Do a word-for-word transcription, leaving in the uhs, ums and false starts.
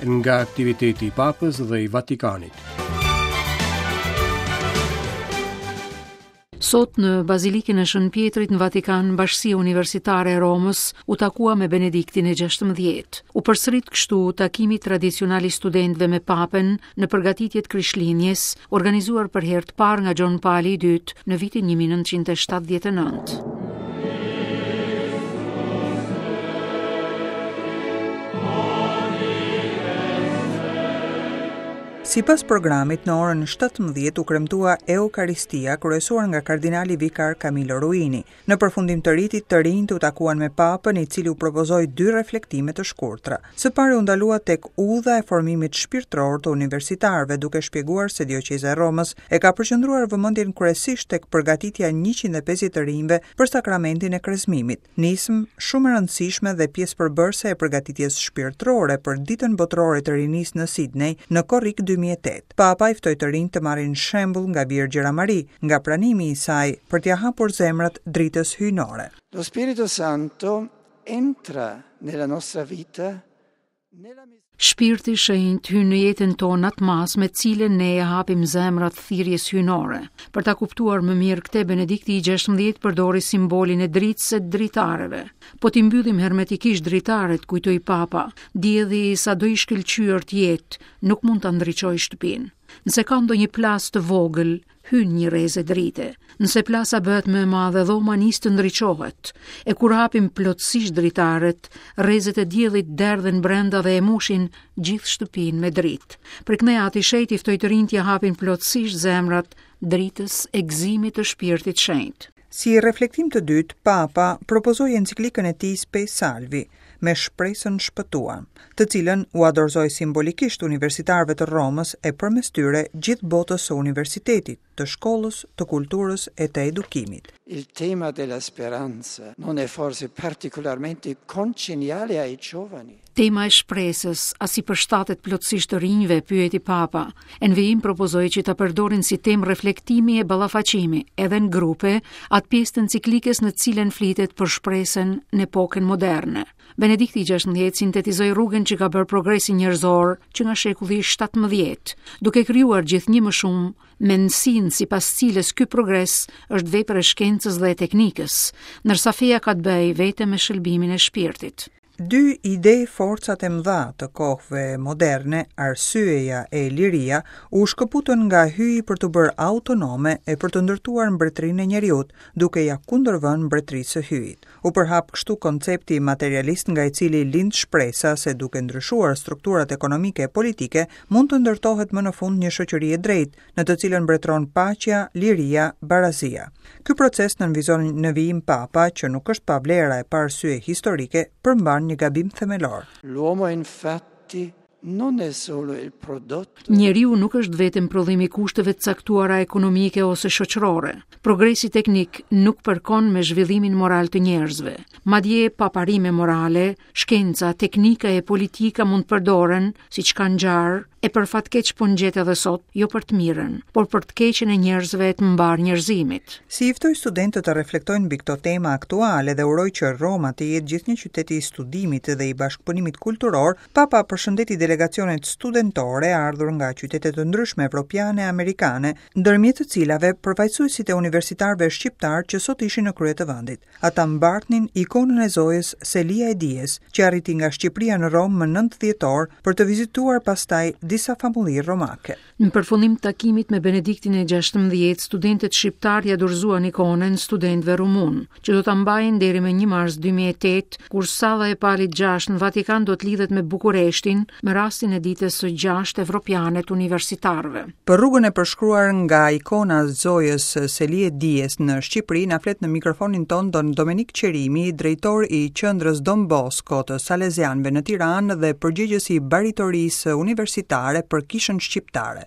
Nga aktiviteti i Papës dhe i Vatikanit. Sot në Bazilikën e Shën Pjetrit në Vatikan, Bashkësia Universitare e Romës u takua me Benediktin e gjashtëmbëdhjetë. U përsërit kështu takimi tradicional i studentëve me Papën në përgatitjet Krishtlindjes, organizuar për herë të parë nga Gjon Pali i dytë në vitin një mijë e nëntëqind e shtatëdhjetë e nëntë. Sipas programit, në orën shtatëmbëdhjetë u kremtua Eukaristia, kryesuar nga kardinali vikar Camillo Ruini. Në përfundim të ritit, të rinjtë u takuan me Papën, i cili u propozoi dy reflektime të shkurtra. Së pari u ndalua tek udha e formimit shpirtëror të universitarëve, duke shpjeguar se dioqeza e Romës e ka përqendruar vëmendjen kryesisht tek përgatitja e njëqind e pesëdhjetë të rinjve për sakramentin e krezmimit. Nismë shumë e rëndësishme dhe pjesë përbërëse e përgatitjes shpirtërore për Ditën Botërore të Rinisë në Sydney në korrik dy mijë e tetë. Papa i ftoi të rinj të marrin shembull nga Virgjëra Mari, nga pranimi i saj për t'ia hapur zemrat dritës hyjnore. Lo Spirito Santo entra nella nostra vita nella mis- Shpirti i Shenjtë hyn në jetën tonë atë masë me cilën ne e hapim zemrat thirrjes hyjnore. Për ta kuptuar më mirë këtë, Benedikti i gjashtëmbëdhjetë përdori simbolin e dritës së dritareve. Po t'i mbyllim hermetikisht dritaret, kujtoi Papa, dielli sado i shkëlqyer të jetë, nuk mund ta ndriçojë shtëpinë. Nëse ka ndonjë plasë të vogël, hyn një rreze drite. Nëse plasa bëhet më e madhe, dhoma nis të ndriçohet. E kur hapim plotësisht dritaret, rrezet e diellit derdhen brenda dhe e mushin gjithë shtëpinë me dritë. Për këtë Ati Shenjt i ftoi të rinjtë t'ia hapin plotësisht zemrat dritës e gëzimit të Shpirtit Shenjt. Si reflektim të dytë, Papa propozoi enciklikën e tij Spe Salvi, me shpresën shpëtuam, të cilën u adorzoi simbolikisht universitarëve të Romës e përmes tyre gjithë botës së universitetit, të shkollës, të kulturës e të edukimit. Il tema della speranza non è forse particolarmente congeniale ai giovani. Tema e shpresës, a si përshtatet plotësisht të rinjve, pyeti Papa. E në vijim propozoi që ta përdorin si temë reflektimi e ballafaqimi, edhe në grupe, atë pjesë të enciklikës në cilën flitet për shpresën në epokën moderne. Benedikti i gjashtëmbëdhjetë sintetizoi rrugën që ka bërë progresi njerëzor që nga shekulli i shtatëmbëdhjetë, duke krijuar gjithnjë më shumë mendësinë sipas cilës ky progres është vepër e shkencës dhe e teknikës, ndërsa feja ka të bëjë vetëm me shëlbimin e shpirtit. Dy ide forcat e mëdha të kohëve moderne, arsyeja e liria, u shkëputën nga hyji për të bërë autonome e për të ndërtuar mbretërinë e njeriut, duke ja kundërvënë mbretërisë së hyjit. U përhap kështu koncepti materialist nga i cili lind shpresa se duke ndryshuar strukturat ekonomike e politike, mund të ndërtohet më në fund një shoqëri e drejtë, në të cilën mbretëron paqja, liria, barazia. Ky proces nënvizon në vijim Papa, që nuk është pa vlera e pa arsye historike, përmban një gabim themelor. L'uomo infatti non è solo il prodotto. Njeriu nuk është vetëm prodhimi i kushteve të caktuara ekonomike ose shoqërore. Progresi teknik nuk përkon me zhvillimin moral të njerëzve. Madje pa parime morale, shkenca, teknika e politika mund të përdoren siç kanë ngjarë, e për fat keq po ngjet edhe sot, jo për të mirën, por për të keqen e njerëzve e të mbar njerëzimit. Si i ftoi studentët të reflektojnë mbi këto tema aktuale dhe uroi që Roma të jetë gjithnjë qyteti i studimit dhe i bashkëpunimit kulturor, Papa përshëndeti delegacionet studentore ardhur nga qytete të ndryshme evropiane e amerikane, ndërmjet të cilave përfaqësuesit e universitarëve shqiptar që sot ishin në krye të vendit. Ata mbartnin ikonën e Zojës Selia e Dijes, që arriti nga Shqipëria në Romë më nëntë dhjetor për të vizituar pastaj disa famulli romake. Në përfundim të takimit me Benediktin e gjashtëmbëdhjetë, studentët shqiptar ja dorëzuan ikonën studentëve rumun, që do ta mbajnë deri më një mars dy mijë e tetë, kur salla e Palit gjashtë në Vatikan do të lidhet me Bukureshtin me rastin e ditës së gjashtë evropiane të universitarëve. Për rrugën e përshkruar nga ikona Zojës Selie Dijes në Shqipëri, na flet në mikrofonin ton Don Domenik Qerimi, drejtor i qendrës Don Bosco të Salesianëve në Tiranë dhe përgjegjës i baritorisë universitare për kishën shqiptare.